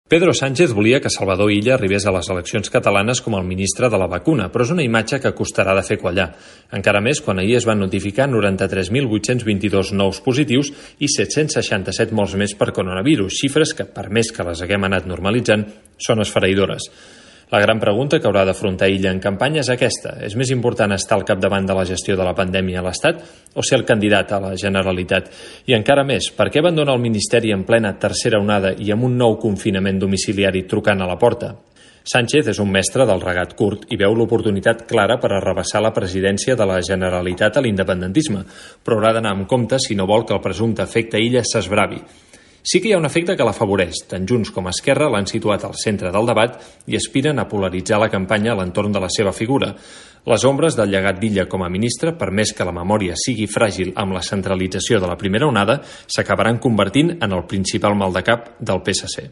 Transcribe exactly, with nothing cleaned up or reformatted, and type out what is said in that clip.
Pedro Sánchez volia que Salvador Illa arribés a les eleccions catalanes com el ministre de la vacuna, però és una imatge que costarà de fer quallar. Encara més quan ahir es van notificar noranta-tres mil vuit-cents vint-i-dos nous positius i set-cents seixanta-set morts més per coronavirus, xifres que, per més que les haguem anat normalitzant, són esfereïdores. La gran pregunta que haurà d'afrontar Illa en campanya és aquesta. És més important estar al capdavant de la gestió de la pandèmia a l'Estat o ser el candidat a la Generalitat? I encara més, per què abandona el Ministeri en plena tercera onada i amb un nou confinament domiciliari trucant a la porta? Sánchez és un mestre del regat curt i veu l'oportunitat clara per arrabassar la presidència de la Generalitat a l'independentisme, però haurà d'anar amb compte si no vol que el presumpte efecte Illa s'esbravi. Sí que hi ha un efecte que l'afavoreix. Tant Junts com Esquerra l'han situat al centre del debat i aspiren a polaritzar la campanya a l'entorn de la seva figura. Les ombres del llegat d'Illa com a ministre, per més que la memòria sigui fràgil amb la centralització de la primera onada, s'acabaran convertint en el principal maldecap del P S C.